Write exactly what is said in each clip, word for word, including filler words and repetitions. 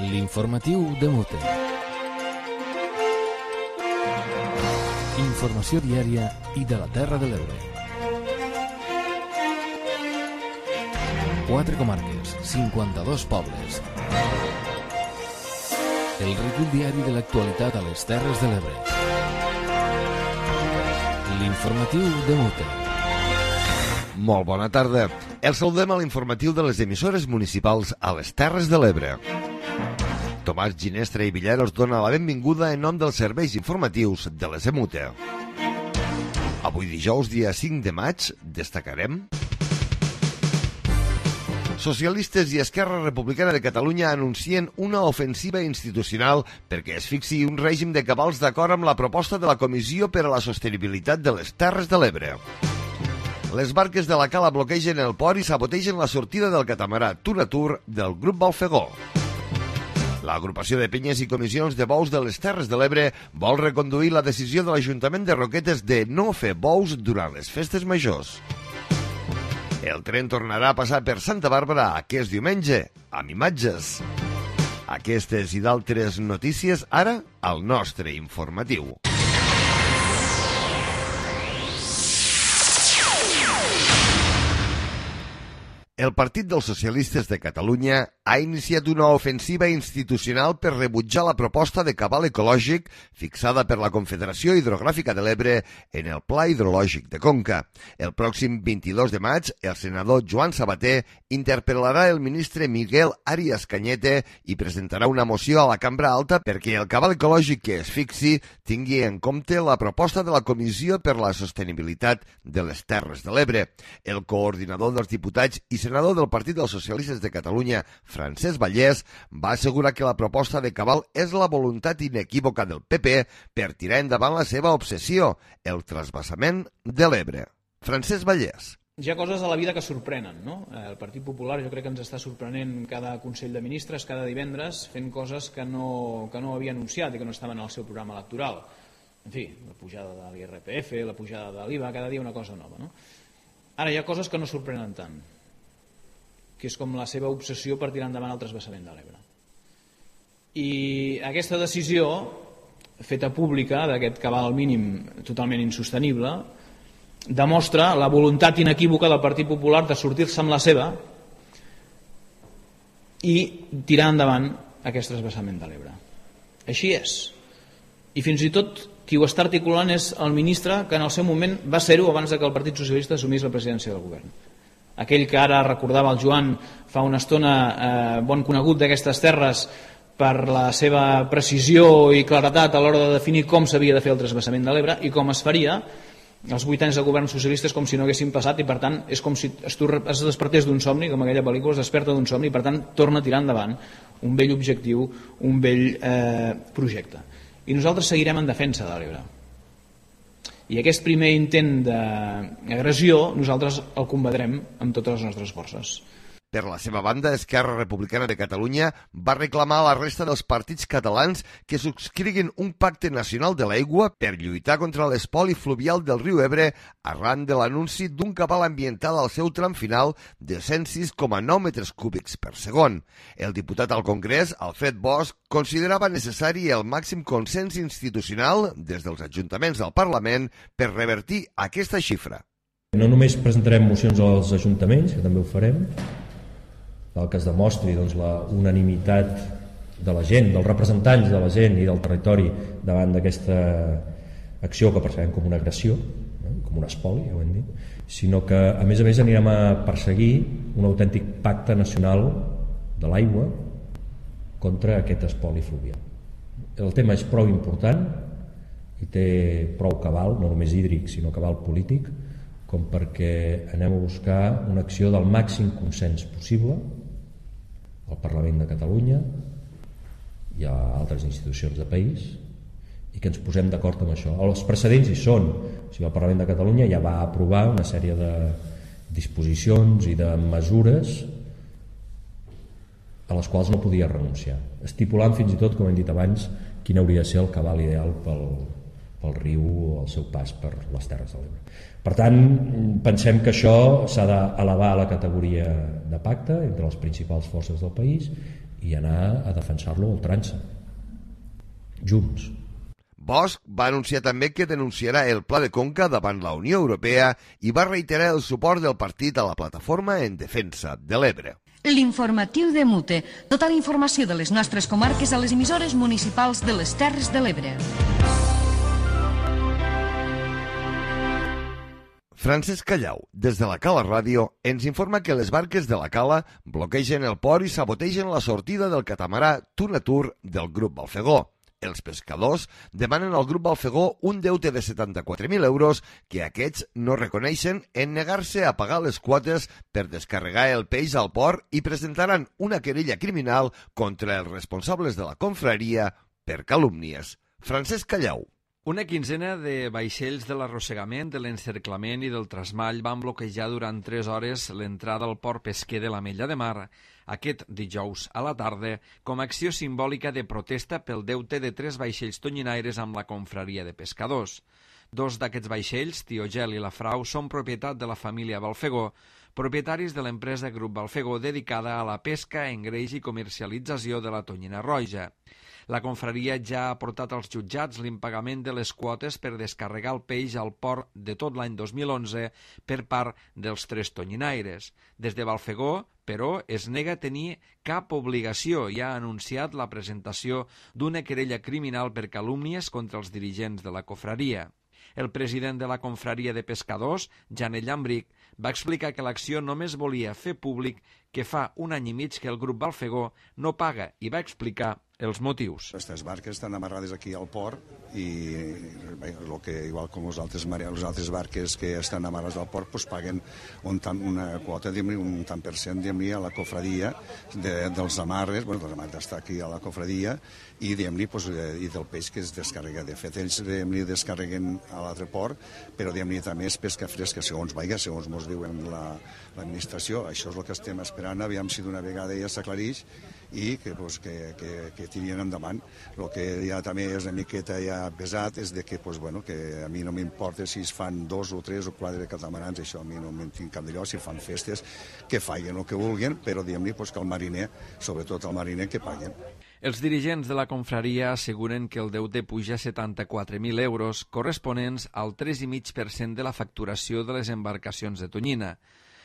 L'informatiu de Mute. Informació diària i de la Terra de l'Ebre. Quatre comarques, cinquanta-dos pobles. El recull diari de l'actualitat a les Terres de l'Ebre. L'informatiu de Mute. Molt bona tarda. El saludem a l'informatiu de les emissores municipals a les Terres de l'Ebre. Tomàs Ginestra i Villar us dona la benvinguda en nom dels serveis informatius de les E M U T E. Avui dijous, dia cinc de maig, destacarem... Socialistes i Esquerra Republicana de Catalunya anuncien una ofensiva institucional perquè es fixi un règim de cabals d'acord amb la proposta de la Comissió per a la Sostenibilitat de les Terres de l'Ebre. Les barques de la cala bloquegen el port i sabotegen la sortida del catamarà Tunatur del grup Balfegó. L'agrupació de penyes i comissions de bous de les Terres de l'Ebre vol reconduir la decisió de l'Ajuntament de Roquetes de no fer bous durant les festes majors. El tren tornarà a passar per Santa Bàrbara aquest diumenge, amb imatges. Aquestes i d'altres notícies ara al nostre informatiu. El Partit dels Socialistes de Catalunya ha iniciat una ofensiva institucional per rebutjar la proposta de cabal ecològic fixada per la Confederació Hidrogràfica de l'Ebre en el Pla Hidrològic de Conca. El pròxim vint-i-dos de maig, el senador Joan Sabater interpel·larà el ministre Miguel Arias Cañete i presentarà una moció a la Cambra Alta perquè el cabal ecològic que es fixi tingui en compte la proposta de la Comissió per la Sostenibilitat de les Terres de l'Ebre. El coordinador dels diputats i senador del Partit dels Socialistes de Catalunya, Francesc Vallès, va assegurar que la proposta de cabal és la voluntat inequívoca del P P per tirar endavant la seva obsessió, el transvasament de l'Ebre. Francesc Vallès. Hi ha coses a la vida que sorprenen, no? El Partit Popular jo crec que ens està sorprenent cada Consell de Ministres, cada divendres, fent coses que no, que no havia anunciat i que no estaven al seu programa electoral. En fi, la pujada de l'I R P F, la pujada de l'I V A, cada dia una cosa nova, no? Ara hi ha coses que no sorprenen tant, que és com la seva obsessió per tirar endavant el transvasament de l'Ebre. I aquesta decisió, feta pública, d'aquest cabal mínim totalment insostenible, demostra la voluntat inequívoca del Partit Popular de sortir-se amb la seva i tirar endavant aquest transvasament de l'Ebre. Així és. I fins i tot qui ho està articulant és el ministre que en el seu moment va ser-ho abans que el Partit Socialista assumís la presidència del govern. Aquell que ara recordava el Joan fa una estona, eh, bon conegut d'aquestes terres per la seva precisió i claretat a l'hora de definir com s'havia de fer el transvasament de l'Ebre i com es faria. Els vuit anys de govern socialista és com si no haguessin passat i per tant és com si es despertés d'un somni, com aquella pel·lícula es desperta d'un somni i per tant torna a tirar endavant un vell objectiu, un vell eh, projecte. I nosaltres seguirem en defensa de l'Ebre. I aquest primer intent d'agressió nosaltres el combatrem amb totes les nostres forces. Per la seva banda, Esquerra Republicana de Catalunya va reclamar a la resta dels partits catalans que subscriguin un pacte nacional de l'aigua per lluitar contra l'espoli fluvial del riu Ebre arran de l'anunci d'un cabal ambiental al seu tram final de cent sis coma nou metres cúbics per segon. El diputat al Congrés, Alfred Bosch, considerava necessari el màxim consens institucional des dels ajuntaments del Parlament per revertir aquesta xifra. No només presentarem mocions als ajuntaments, que també ho farem, el que es demostri doncs, la unanimitat de la gent, dels representants de la gent i del territori davant d'aquesta acció que percebem com una agressió, eh, com un espoli, ja ho hem dit, sinó que a més a més anirem a perseguir un autèntic pacte nacional de l'aigua contra aquest espoli fluvial. El tema és prou important i té prou cabal, no només hídric, sinó cabal polític, com perquè anem a buscar una acció del màxim consens possible al Parlament de Catalunya i a altres institucions de país i que ens posem d'acord amb això. Els precedents hi són. O sigui, el Parlament de Catalunya ja va aprovar una sèrie de disposicions i de mesures a les quals no podia renunciar, estipulant fins i tot, com hem dit abans, quin hauria de ser el cabal ideal pel, pel riu o el seu pas per les Terres de l'Ebre. Per tant, pensem que això s'ha d'elevar a la categoria de pacte entre les principals forces del país i anar a defensar-lo a ultrança, junts. Bosch va anunciar també que denunciarà el Pla de Conca davant la Unió Europea i va reiterar el suport del partit a la plataforma en defensa de l'Ebre. L'informatiu de Mute. Tota la informació de les nostres comarques a les emissores municipals de les Terres de l'Ebre. Francesc Callau, des de la Cala Ràdio, ens informa que les barques de la Cala bloquegen el port i sabotegen la sortida del catamarà Tunatur del grup Balfegó. Els pescadors demanen al grup Balfegó un deute de setanta-quatre mil euros que aquests no reconeixen en negar-se a pagar les quotes per descarregar el peix al port i presentaran una querella criminal contra els responsables de la confraria per calúmnies. Francesc Callau. Una quinzena de vaixells de l'arrossegament, de l'encerclament i del trasmall van bloquejar durant tres hores l'entrada al port pesquer de l'Ametlla de Mar aquest dijous a la tarda com a acció simbòlica de protesta pel deute de tres vaixells tonyinaires amb la confraria de pescadors. Dos d'aquests vaixells, Tiogel i la Frau, són propietat de la família Balfegó, propietaris de l'empresa Grup Balfegó dedicada a la pesca, engreix i comercialització de la tonyina roja. La confraria ja ha portat als jutjats l'impagament de les quotes per descarregar el peix al port de tot l'any dos mil onze per part dels tres tonyinaires. Des de Balfegó, però, es nega a tenir cap obligació i ha anunciat la presentació d'una querella criminal per calúmnies contra els dirigents de la confraria. El president de la confraria de pescadors, Janel Llambric, va explicar que l'acció només volia fer públic que fa un any i mig que el grup Balfegó no paga i va explicar els motius. Aquestes barques estan amarrades aquí al port i bé, lo que, igual com les altres, les altres barques que estan amarrades al port pues, paguen un tant, una quota, un tant per cent a la cofradia de, dels amarres, bueno, dels amarres està aquí a la cofradia i, pues, i del peix que es descarrega. De fet, ells descarreguen a l'altre port, però també és pesca fresca, segons vaiga, segons ens diuen l'administració. Això és el que estem esperant, aviam si d'una vegada ja s'aclareix i que, pues, que, que, que tirien endavant. El que ja també és una miqueta ja pesat és de que, pues, bueno, que a mi no m'importa si es fan dos o tres o quatre catamarans, això a mi no me'n tinc cap d'allò, si fan festes, que facin el que vulguin, però diguem-li pues, que el mariner, sobretot el mariner, que paguen. Els dirigents de la confraria asseguren que el deute puja a setanta-quatre mil euros, corresponents al tres coma cinc per cent de la facturació de les embarcacions de tonyina.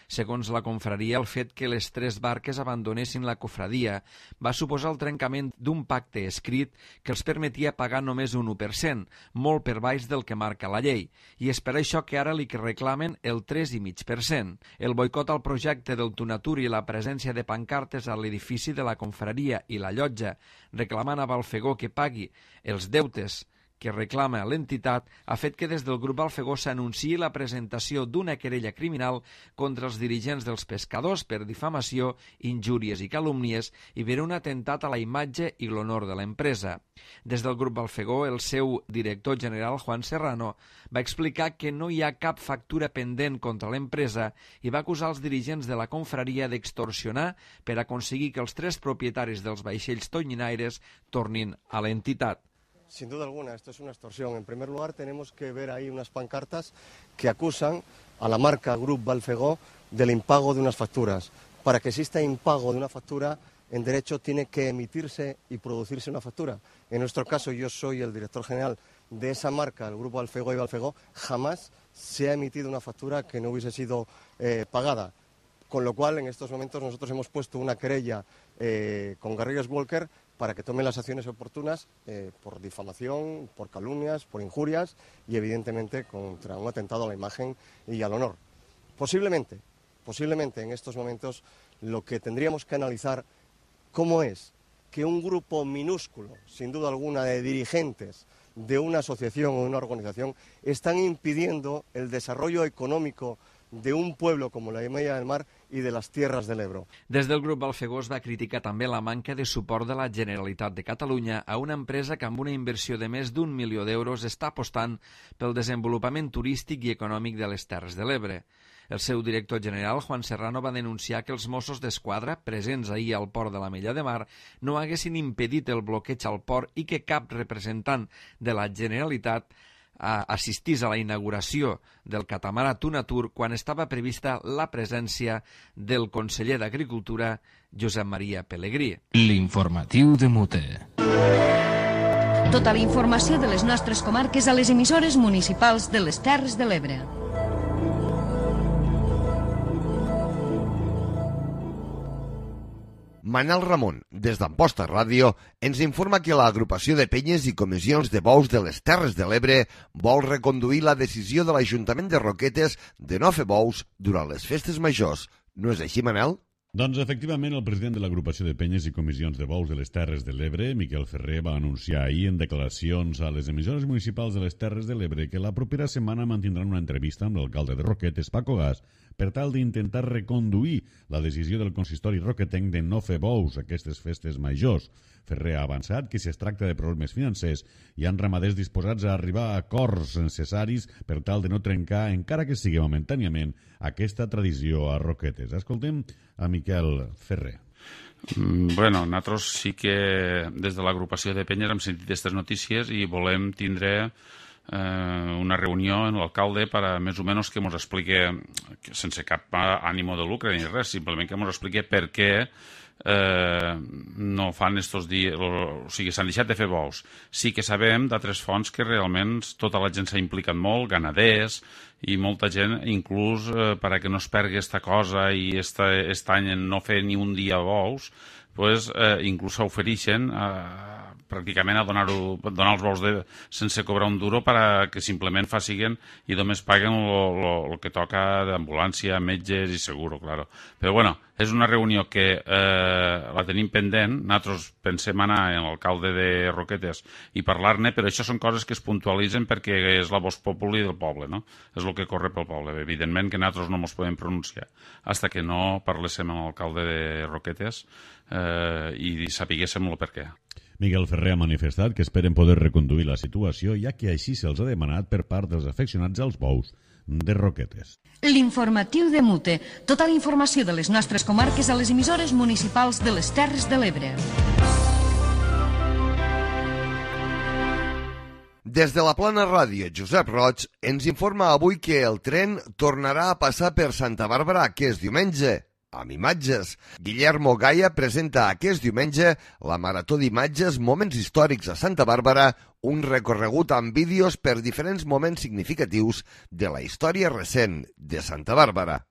Segons la confraria, el fet que les tres barques abandonessin la cofradia va suposar el trencament d'un pacte escrit que els permetia pagar només un u per cent, molt per baix del que marca la llei, i és per això que ara li reclamen el tres coma cinc per cent. El boicot al projecte del Tunatur i la presència de pancartes a l'edifici de la confraria i la llotja reclamant a Balfegó que pagui els deutes que reclama l'entitat ha fet que des del grup Balfegó s'anunciï la presentació d'una querella criminal contra els dirigents dels pescadors per difamació, injúries i calúmnies i per un atemptat a la imatge i l'honor de l'empresa. Des del grup Balfegó, el seu director general, Juan Serrano, va explicar que no hi ha cap factura pendent contra l'empresa i va acusar els dirigents de la confraria d'extorsionar per aconseguir que els tres propietaris dels vaixells tonyinaires tornin a l'entitat. Sin duda alguna, esto es una extorsión. En primer lugar, tenemos que ver ahí unas pancartas que acusan a la marca Grup Balfegó del impago de unas facturas. Para que exista impago de una factura, en derecho tiene que emitirse y producirse una factura. En nuestro caso, yo soy el director general de esa marca, el Grupo Balfegó y Balfegó, jamás se ha emitido una factura que no hubiese sido eh, pagada. Con lo cual, en estos momentos, nosotros hemos puesto una querella eh, con Garrigues Walker para que tomen las acciones oportunas eh, por difamación, por calumnias, por injurias y, evidentemente, contra un atentado a la imagen y al honor. Posiblemente, posiblemente en estos momentos lo que tendríamos que analizar cómo es que un grupo minúsculo, sin duda alguna, de dirigentes de una asociación o una organización están impidiendo el desarrollo económico de un pueblo como la Ametlla del Mar i de les Terres de l'Ebre. Des del grup Balfegó es va criticar també la manca de suport de la Generalitat de Catalunya a una empresa que amb una inversió de més d'un milió d'euros està apostant pel desenvolupament turístic i econòmic de les Terres de l'Ebre. El seu director general, Juan Serrano, va denunciar que els Mossos d'Esquadra, presents ahir al port de l'Ametlla de Mar, no haguessin impedit el bloqueig al port i que cap representant de la Generalitat assistís a la inauguració del catamarà Tunatur quan estava prevista la presència del conseller d'Agricultura, Josep Maria Pelegrí. L'informatiu de Mute. Tota la informació de les nostres comarques a les emissores municipals de les Terres de l'Ebre. Manel Ramon, des d'Amposta Ràdio, ens informa que l'agrupació de penyes i comissions de bous de les Terres de l'Ebre vol reconduir la decisió de l'Ajuntament de Roquetes de no fer bous durant les festes majors. No és així, Manel? Doncs, efectivament, el president de l'agrupació de penyes i comissions de bous de les Terres de l'Ebre, Miquel Ferrer, va anunciar ahir en declaracions a les emissores municipals de les Terres de l'Ebre que la propera setmana mantindran una entrevista amb l'alcalde de Roquetes, Paco Gas, per tal d'intentar reconduir la decisió del consistori roquetenc de no fer bous aquestes festes majors. Ferrer ha avançat que si es tracta de problemes financers hi ha ramaders disposats a arribar a acords necessaris per tal de no trencar, encara que sigui momentàniament, aquesta tradició a Roquetes. Escoltem a Miquel Ferrer. Bueno, nosaltres sí que des de l'agrupació de penyes hem sentit aquestes notícies i volem tindre eh, una reunió amb l'alcalde per a més o menys que ens expliqui, sense cap ànimo de lucre ni res, simplement que ens expliqui per què eh, no fan estos dies, o sigui, s'han deixat de fer bous. Sí que sabem d'altres fonts que realment tota la gent s'ha implicat molt, ganaders i molta gent, inclús eh, per a que no es pergui aquesta cosa i este, este any no fer ni un dia bous, pues, eh, inclús s'ofereixen eh, pràcticament a donar, donar els bous de, sense cobrar un duro per a que simplement facin i només paguen el que toca d'ambulància, metges i seguro, claro. Però bueno, és una reunió que eh, la tenim pendent, nosaltres pensem anar amb l'alcalde de Roquetes i parlar-ne, però això són coses que es puntualitzen perquè és la voz populi del poble, no? És el que corre pel poble. Evidentment que nosaltres no ens podem pronunciar fins que no parléssim amb l'alcalde de Roquetes eh, i sapiguéssim el per què. Miquel Ferrer ha manifestat que esperen poder reconduir la situació, ja que així se'ls ha demanat per part dels afeccionats als bous de Roquetes. L'informatiu de Mute. Tota la informació de les nostres comarques a les emissores municipals de les Terres de l'Ebre. Des de la Plana Ràdio, Josep Roig ens informa avui que el tren tornarà a passar per Santa Bàrbara aquest diumenge, amb imatges. Guillermo Gaia presenta aquest diumenge la Marató d'Imatges Moments Històrics a Santa Bàrbara, un recorregut amb vídeos per diferents moments significatius de la història recent de Santa Bàrbara.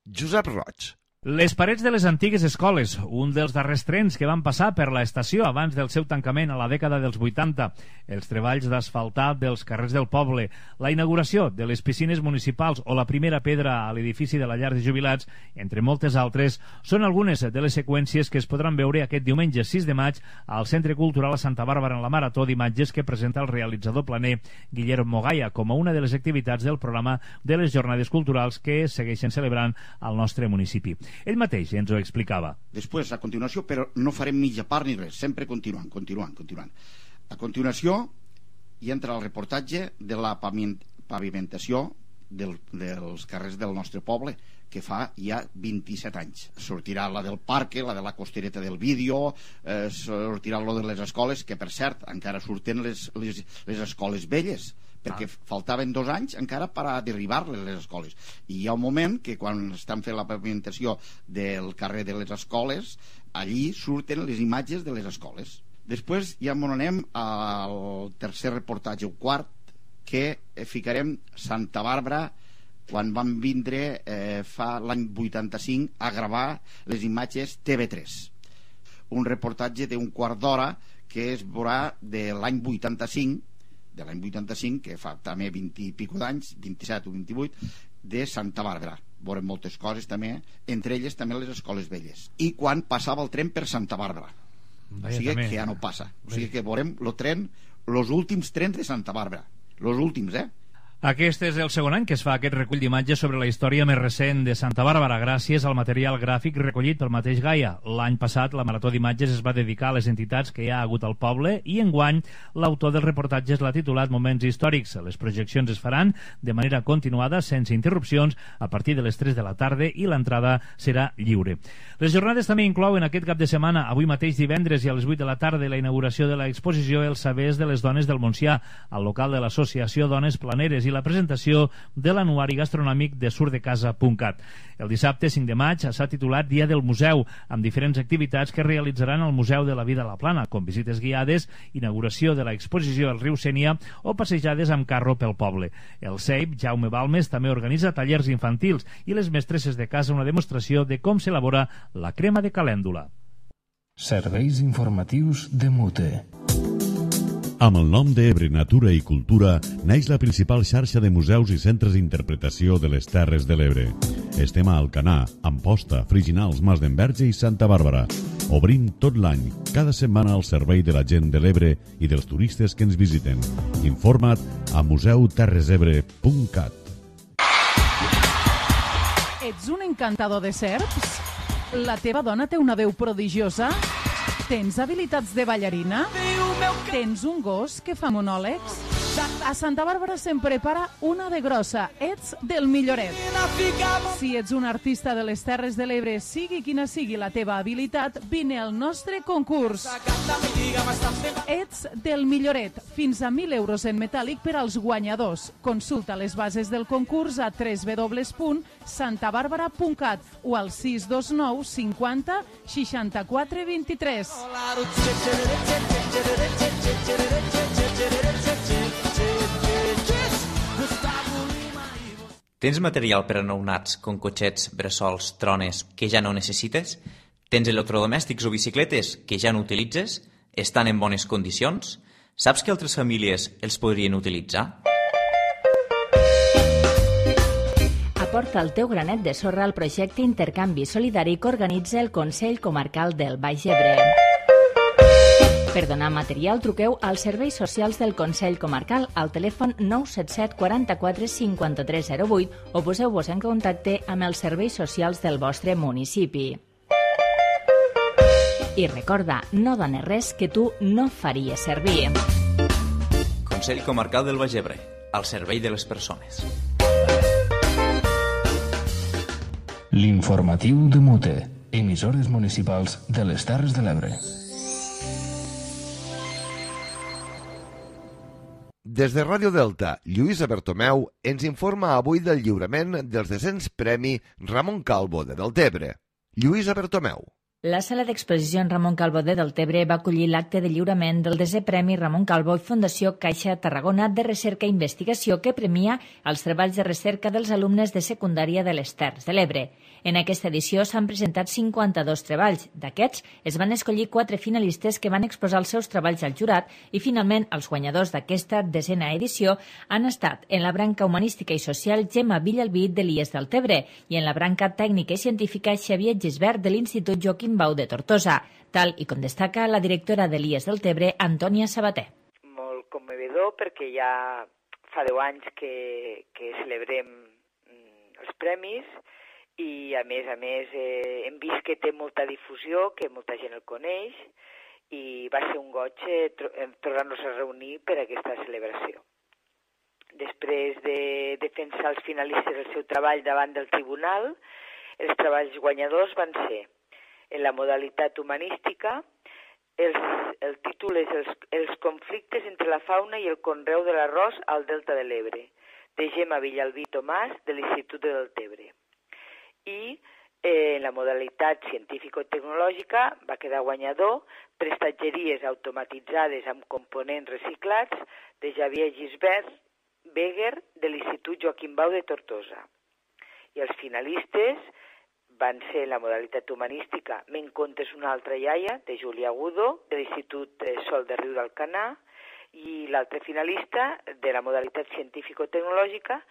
Josep Roig. Les parets de les antigues escoles, un dels darrers trens que van passar per la estació abans del seu tancament a la dècada dels vuitanta, els treballs d'asfaltar dels carrers del poble, la inauguració de les piscines municipals o la primera pedra a l'edifici de la llar de jubilats, entre moltes altres, són algunes de les seqüències que es podran veure aquest diumenge sis de maig al Centre Cultural a Santa Bàrbara en la Marató d'imatges que presenta el realitzador planer Guillermo Gaia com a una de les activitats del programa de les jornades culturals que segueixen celebrant al nostre municipi. Ell mateix ens ho explicava. Després, a continuació, però no farem mitja part ni res, sempre continuant, continuant, continuant. A continuació, hi entra el reportatge de la pavimentació del, dels carrers del nostre poble, que fa ja vint-i-set anys. Sortirà la del parc, la de la costereta del vídeo, eh, sortirà lo de les escoles, que per cert, encara surten les, les, les escoles velles, perquè faltaven dos anys encara per a derribar les escoles. I hi ha un moment que quan estan fent la pavimentació del carrer de les escoles, allí surten les imatges de les escoles. Després ja m'ho anem al tercer reportatge, o quart, que ficarem Santa Bàrbara quan van vindre eh, fa l'any vuitanta-cinc a gravar les imatges T V tres. Un reportatge d'un quart d'hora que es veurà de l'any vuitanta-cinc, de l'any vuitanta-cinc, que fa també vint i pico d'anys, vint-i-set o vint-i-vuit, de Santa Bàrbara. Veurem moltes coses també, entre elles també les escoles velles. I quan passava el tren per Santa Bàrbara. O sigui que ja no passa. O sigui que veurem el tren, els últims trens de Santa Bàrbara. Els últims, eh? Aquest és el segon any que es fa aquest recull d'imatges sobre la història més recent de Santa Bàrbara, gràcies al material gràfic recollit pel mateix Gaia. L'any passat la marató d'imatges es va dedicar a les entitats que hi ha hagut al poble i enguany l'autor dels reportatges l'ha titulat Moments històrics. Les projeccions es faran de manera continuada, sense interrupcions, a partir de les tres de la tarda i l'entrada serà lliure. Les jornades també inclouen aquest cap de setmana, avui mateix divendres i a les vuit de la tarda, la inauguració de l'exposició Els sabers de les dones del Montsià, al local de l'associació Dones Planeres, i la presentació de l'anuari gastronòmic de surdecasa punt cat. El dissabte cinc de maig s'ha titulat Dia del Museu, amb diferents activitats que realitzaran al Museu de la Vida a la Plana, com visites guiades, inauguració de l'exposició al riu Sénia o passejades amb carro pel poble. El C E I P, Jaume Balmes, també organitza tallers infantils i les mestresses de casa una demostració de com s'elabora la crema de calèndula. Serveis informatius de Mute. Amb el nom d'Ebre Natura i Cultura neix la principal xarxa de museus i centres d'interpretació de les Terres de l'Ebre. Estem a Alcanar, Amposta, Friginals, Mas d'Enverge i Santa Bàrbara. Obrim tot l'any, cada setmana al servei de la gent de l'Ebre i dels turistes que ens visiten. Informa't a museu terres ebre punt cat. Ets un encantador de serps? La teva dona té una veu prodigiosa? Tens habilitats de ballarina? Tens un gos que fa monòlegs? A Santa Bàrbara se'n prepara una de grossa. Ets del milloret. Si ets un artista de les Terres de l'Ebre, sigui quina sigui la teva habilitat, vine al nostre concurs. Ets del milloret. Fins a mil euros en metàl·lic per als guanyadors. Consulta les bases del concurs a w w w punt santa bàrbara punt cat o al sis dos nou cinquanta seixanta-quatre vint-i-tres. Tens material per a nounats, com cotxets, bressols, trones, que ja no necessites? Tens electrodomèstics o bicicletes que ja no utilitzes? Estan en bones condicions? Saps que altres famílies els podrien utilitzar? Aporta el teu granet de sorra al projecte Intercanvi Solidari que organitza el Consell Comarcal del Baix Ebre. Per donar material, truqueu als serveis socials del Consell Comarcal al telèfon nou set set quaranta-quatre cinquanta-tres zero vuit o poseu-vos en contacte amb els serveis socials del vostre municipi. I recorda, no dones res que tu no faries servir. Consell Comarcal del Baix Ebre, al servei de les persones. L'informatiu de Mute, emissores municipals de les Terres de l'Ebre. Des de Ràdio Delta, Lluïsa Bertomeu ens informa avui del lliurament dels descens Premi Ramon Calvo de Deltebre. Lluïsa Bertomeu. La sala d'exposicions Ramon Calvo de Deltebre va acollir l'acte de lliurament del desè Premi Ramon Calvo i Fundació Caixa Tarragona de Recerca i Investigació que premia els treballs de recerca dels alumnes de secundària de les Terres de l'Ebre. En aquesta edició s'han presentat cinquanta-dos treballs. D'aquests, es van escollir quatre finalistes que van exposar els seus treballs al jurat i, finalment, els guanyadors d'aquesta desena edició han estat en la branca humanística i social Gemma Villalbí de l'I E S Deltebre i en la branca tècnica i científica Xavier Gisbert de l'Institut Joaquim Bau de Tortosa, tal i com destaca la directora de l'I E S Deltebre, Antònia Sabater. Molt commovedor perquè ja fa deu anys que, que celebrem els premis i a més a més eh, hem vist que té molta difusió, que molta gent el coneix i va ser un goig eh, tornar-nos a reunir per a aquesta celebració. Després de defensar els finalistes del seu treball davant del tribunal, els treballs guanyadors van ser en la modalitat humanística, els, el títol és els, els conflictes entre la fauna i el conreu de l'arròs al Delta de l'Ebre, de Gemma Villalbí Tomàs, de l'Institut de Deltebre. I eh, en la modalitat científico-tecnològica va quedar guanyador prestatgeries automatitzades amb components reciclats de Xavier Gisbert Beguer de l'Institut Joaquim Bau de Tortosa. I els finalistes van ser la modalitat humanística Me'n contes una altra iaia, de Júlia Agudo, de l'Institut Sol de Riu d'Alcanar, i l'altre finalista de la modalitat científico-tecnològica,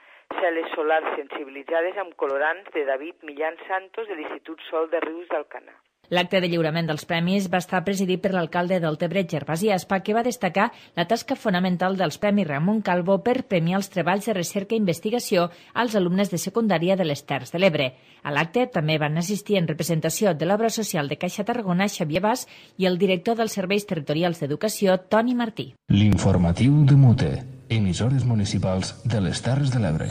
cel·les solars sensibilitzades amb colorants, de David Millán Santos, de l'Institut Sol de Rius d'Alcanar. L'acte de lliurament dels premis va estar presidit per l'alcalde del Tebre, Gervasi Aspa, que va destacar la tasca fonamental dels Premis Ramon Calvo per premiar els treballs de recerca i investigació als alumnes de secundària de les Terres de l'Ebre. A l'acte també van assistir en representació de l'obra social de Caixa Tarragona, Xavier Bas, i el director dels Serveis Territorials d'Educació, Toni Martí. L'informatiu de Mute, emissores municipals de les Terres de l'Ebre.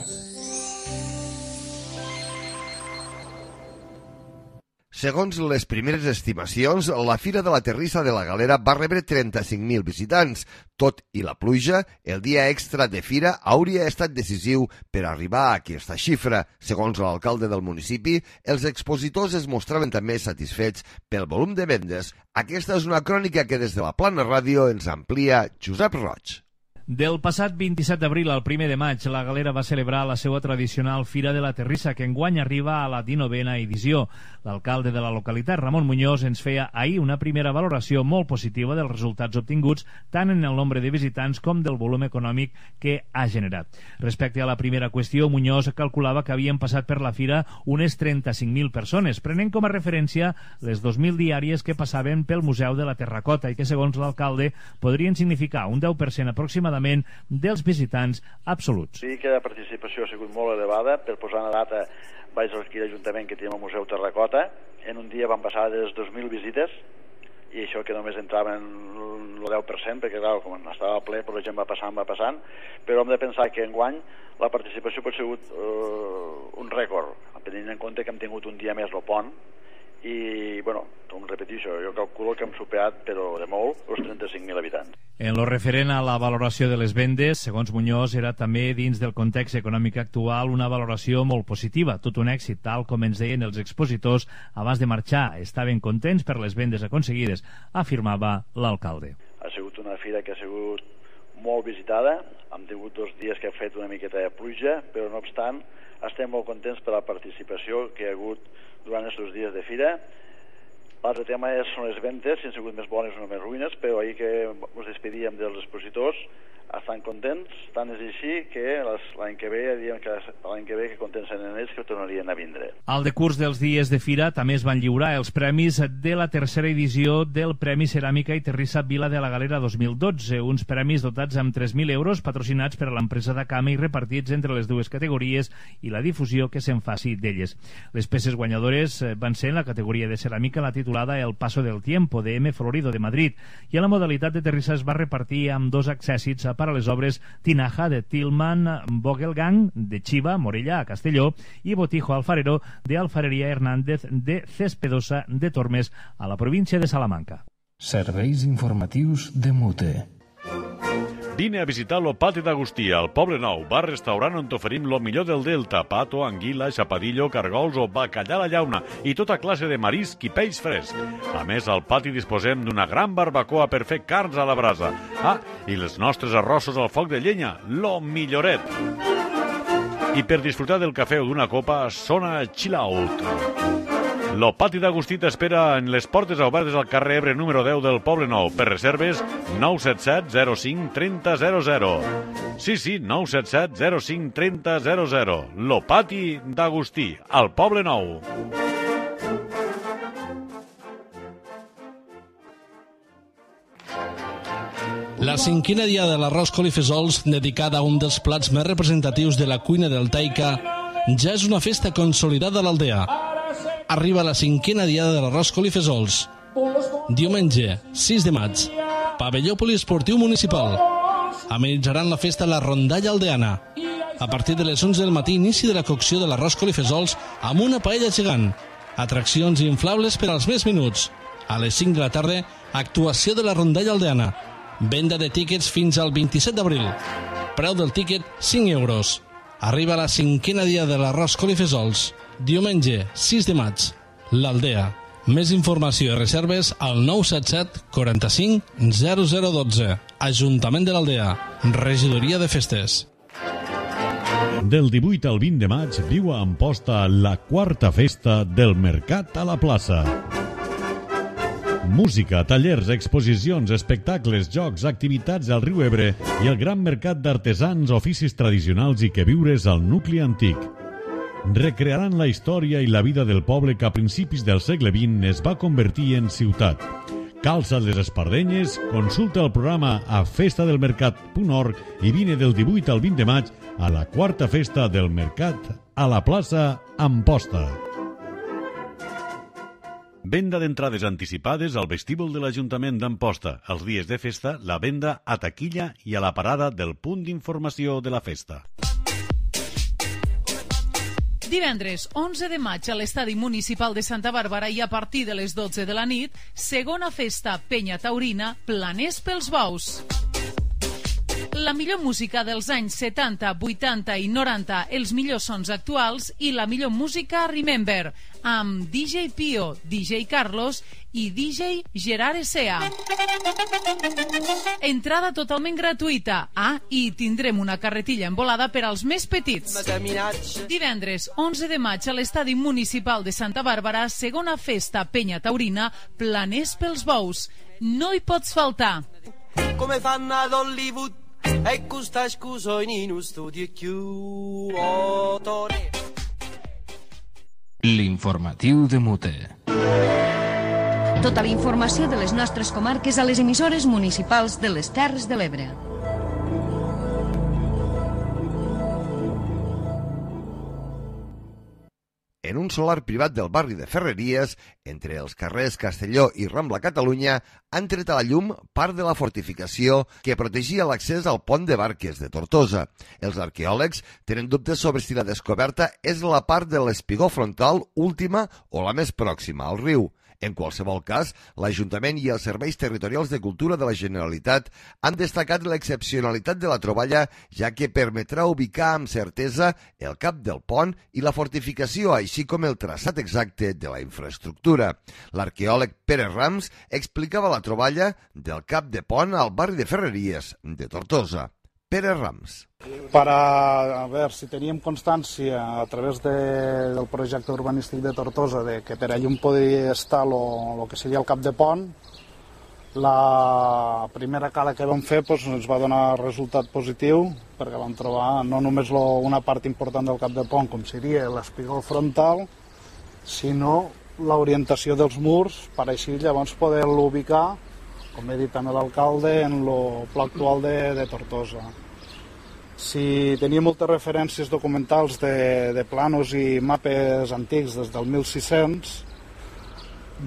Segons les primeres estimacions, la Fira de la Terrissa de la Galera va rebre trenta-cinc mil visitants. Tot i la pluja, el dia extra de fira hauria estat decisiu per arribar a aquesta xifra. Segons l'alcalde del municipi, els expositors es mostraven també satisfets pel volum de vendes. Aquesta és una crònica que des de la Plana Ràdio ens amplia Josep Roig. Del passat vint-i-set d'abril al primer de maig, la Galera va celebrar la seva tradicional Fira de la Terrissa, que enguany arriba a la dinovena edició. L'alcalde de la localitat, Ramon Muñoz, ens feia ahir una primera valoració molt positiva dels resultats obtinguts, tant en el nombre de visitants com del volum econòmic que ha generat. Respecte a la primera qüestió, Muñoz calculava que havien passat per la fira unes trenta-cinc mil persones, prenent com a referència les dos mil diàries que passaven pel Museu de la Terracota i que, segons l'alcalde, podrien significar un deu per cent aproximadament dels visitants absoluts. Sí que la participació ha sigut molt elevada. Per posar una data, vaig aquí a l'Ajuntament que tenim al Museu Terracota. En un dia van passar de les dos mil visites i això que només entraven el deu per cent, perquè clar, com estava ple, però la gent va passant, va passant, però hem de pensar que enguany la participació pot ser sigut uh, un rècord, tenint en compte que hem tingut un dia més el pont i, bueno, com repeteixo, jo calculo que hem superat, però de molt, els trenta-cinc mil habitants. En lo referent a la valoració de les vendes, segons Muñoz, era també dins del context econòmic actual una valoració molt positiva, tot un èxit, tal com ens deien els expositors abans de marxar. Estaven contents per les vendes aconseguides, afirmava l'alcalde. Ha sigut una fira que ha sigut molt visitada, hem tingut dos dies que ha fet una miqueta de pluja, però no obstant estem molt contents per la participació que hi ha hagut durant aquests dies de fira. L'altre tema és, són les ventes, si han sigut més bones o més ruïnes, però ahir que ens despedíem dels expositors estan contents, tant és així que l'any que ve, diem que l'any que ve que contents en ells que tornarien a vindre. Al decurs dels dies de fira també es van lliurar els premis de la tercera edició del Premi Ceràmica i Terrissa Vila de la Galera dos mil dotze, uns premis dotats amb tres mil euros patrocinats per l'empresa d'Acama i repartits entre les dues categories i la difusió que se'n faci d'elles. Les peces guanyadores van ser en la categoria de ceràmica la titulada El Paso del Tiempo, de M. Florido, de Madrid, i en la modalitat de terrissa es va repartir amb dos accèssits per a les obres Tinaja, de Tillman Vogelgang, de Chiva, Morella, a Castelló, i Botijo Alfarero, de Alfarería Hernández, de Cespedosa, de Tormes, a la província de Salamanca. Serveis informatius de Mute. Vine a visitar lo Pati d'Agustí, al Poble Nou, bar-restaurant on t'oferim lo millor del Delta, pato, anguila, xapadillo, cargols o bacallà a la llauna i tota classe de marisc i peix fresc. A més, al pati disposem d'una gran barbacoa per fer carns a la brasa. Ah, i els nostres arrossos al foc de llenya, lo milloret. I per disfrutar del cafè o d'una copa, sona Chill Out. Lo Pati d'Agustí t'espera en les portes obertes al carrer Ebre número deu del Poble Nou. Per reserves, nou set set zero cinc trenta zero zero. Sí, sí, nou set set zero cinc trenta zero zero. Lo Pati d'Agustí, al Poble Nou. La cinquena dia de l'arròs colifesols, dedicada a un dels plats més representatius de la cuina del Taica, ja és una festa consolidada a l'aldea. Arriba la cinquena diada de l'arròs colifesols. Diumenge, sis de maig, pavelló poliesportiu municipal. Amenitzaran la festa la rondalla aldeana. A partir de les onze del matí, inici de la cocció de l'arròs colifesols amb una paella gegant. Atraccions inflables per als més minuts. A les cinc de la tarda, actuació de la rondalla aldeana. Venda de tíquets fins al vint-i-set d'abril. Preu del tíquet, cinc euros. Arriba la cinquena dia de l'arròs colifesols. Diumenge, sis de maig. L'Aldea. Més informació i reserves al nou set set quaranta-cinc zero zero dotze. Ajuntament de l'Aldea. Regidoria de Festes. Del divuit al vint de maig viu a Amposta la quarta festa del Mercat a la Plaça. Música, tallers, exposicions, espectacles, jocs, activitats al riu Ebre i el gran mercat d'artesans, oficis tradicionals i queviures al nucli antic. recrearan la història i la vida del poble que a principis del segle vint es va convertir en ciutat. Calça't les espardenyes, consulta el programa a festadelmercat punt org i vine del divuit al vint de maig a la quarta festa del Mercat a la plaça Amposta. Venda d'entrades anticipades al vestíbul de l'Ajuntament d'Amposta. Els dies de festa, la venda a taquilla i a la parada del punt d'informació de la festa. Divendres onze de maig a l'Estadi Municipal de Santa Bàrbara i a partir de les dotze de la nit, segona festa Penya Taurina, Planers pels Bous. La millor música dels anys setanta, vuitanta i noranta, els millors sons actuals i la millor música Remember, amb D J Pio, D J Carlos i D J Gerard Esea. Entrada totalment gratuïta. Ah, i tindrem una carretilla envolada per als més petits. Divendres onze de maig a l'Estadi Municipal de Santa Bàrbara, segona festa Penya Taurina, Planers pels Bous. No hi pots faltar. Come fanno ad Hollywood e questa scusa in uno studio chiù otore. L'informatiu de Mute. Tota la informació de les nostres comarques a les emissores municipals de les Terres de l'Ebre. En un solar privat del barri de Ferreries, entre els carrers Castelló i Rambla Catalunya, han tret a la llum part de la fortificació que protegia l'accés al pont de Barques de Tortosa. Els arqueòlegs tenen dubtes sobre si la descoberta és la part de l'espigó frontal última o la més pròxima al riu. En qualsevol cas, l'Ajuntament i els Serveis Territorials de Cultura de la Generalitat han destacat l'excepcionalitat de la troballa, ja que permetrà ubicar amb certesa el cap del pont i la fortificació, així com el traçat exacte de la infraestructura. L'arqueòleg Pere Rams explicava la troballa del cap de pont al barri de Ferreries de Tortosa. Pere Rams. Para a ver si teníem constància a través de, del projecte urbanístic de Tortosa de que per allà on podria estar lo, lo que seria el cap de pont, la primera cala que vam fer pues, ens va donar resultat positiu perquè vam trobar no només lo, una part important del cap de pont com seria l'espigó frontal, sinó l'orientació dels murs per així llavors poder-lo ubicar, com he dit també l'alcalde, en el pla actual de, de Tortosa. Si tenia moltes referències documentals de, de planos i mapes antics des del mil sis-cents,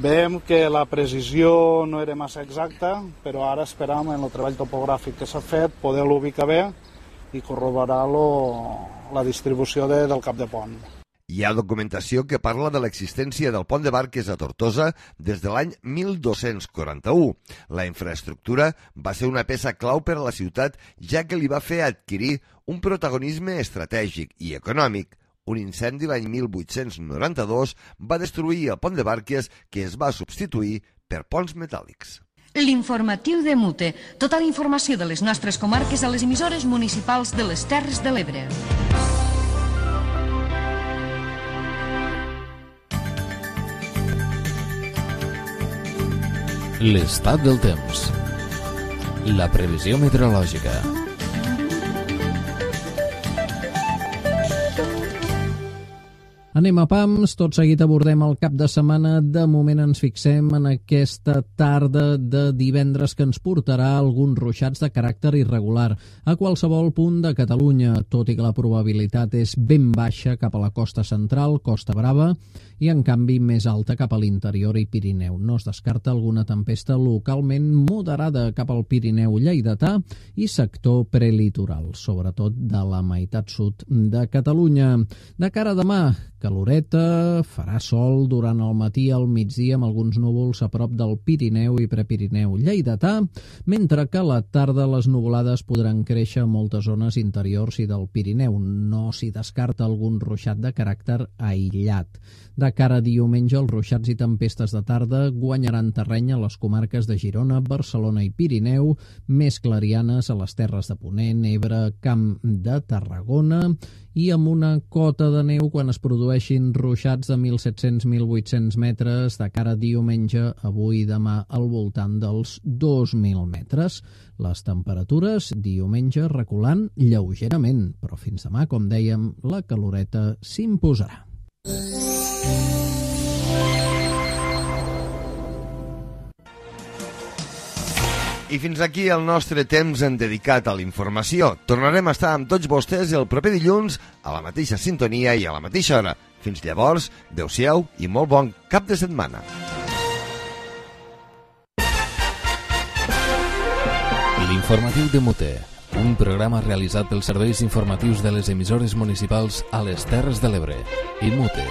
veiem que la precisió no era massa exacta, però ara esperam en el treball topogràfic que s'ha fet poder-lo ubicar bé i corroborar la distribució de, del cap de pont. Hi ha documentació que parla de l'existència del pont de Barques a Tortosa des de l'any mil dos-cents quaranta-u. La infraestructura va ser una peça clau per a la ciutat, ja que li va fer adquirir un protagonisme estratègic i econòmic. Un incendi l'any mil vuit-cents noranta-dos va destruir el pont de Barques, que es va substituir per ponts metàl·lics. L'informatiu de Mute. Tota la informació de les nostres comarques a les emissores municipals de les Terres de l'Ebre. L'estat del temps. La previsió meteorològica. Anem a pams, tot seguit abordem el cap de setmana. De moment ens fixem en aquesta tarda de divendres que ens portarà alguns ruixats de caràcter irregular a qualsevol punt de Catalunya, tot i que la probabilitat és ben baixa cap a la costa central, Costa Brava, i en canvi més alta cap a l'interior i Pirineu. No es descarta alguna tempesta localment moderada cap al Pirineu lleidatà i sector prelitoral, sobretot de la meitat sud de Catalunya. De cara a demà, caloreta, farà sol durant el matí al migdia amb alguns núvols a prop del Pirineu i Prepirineu lleidatà, mentre que a la tarda les nuvolades podran créixer a moltes zones interiors i del Pirineu. No s'hi descarta algun ruixat de caràcter aïllat. De cara a diumenge, els ruixats i tempestes de tarda guanyaran terreny a les comarques de Girona, Barcelona i Pirineu, més clarianes a les terres de Ponent, Ebre, Camp de Tarragona, i amb una cota de neu quan es produeix produeixin ruixats de mil set-cents a mil vuit-cents metres de cara a diumenge, avui i demà al voltant dels dos mil metres. Les temperatures diumenge reculant lleugerament, però fins demà, com dèiem, la caloreta s'imposarà. I fins aquí el nostre temps en dedicat a la informació. Tornarem a estar amb tots vostès el proper dilluns a la mateixa sintonia i a la mateixa hora. Fins llavors, adeu-siau i molt bon cap de setmana. L'informatiu de Mute, un programa realitzat pels serveis informatius de les emissores municipals a les Terres de l'Ebre i Mute.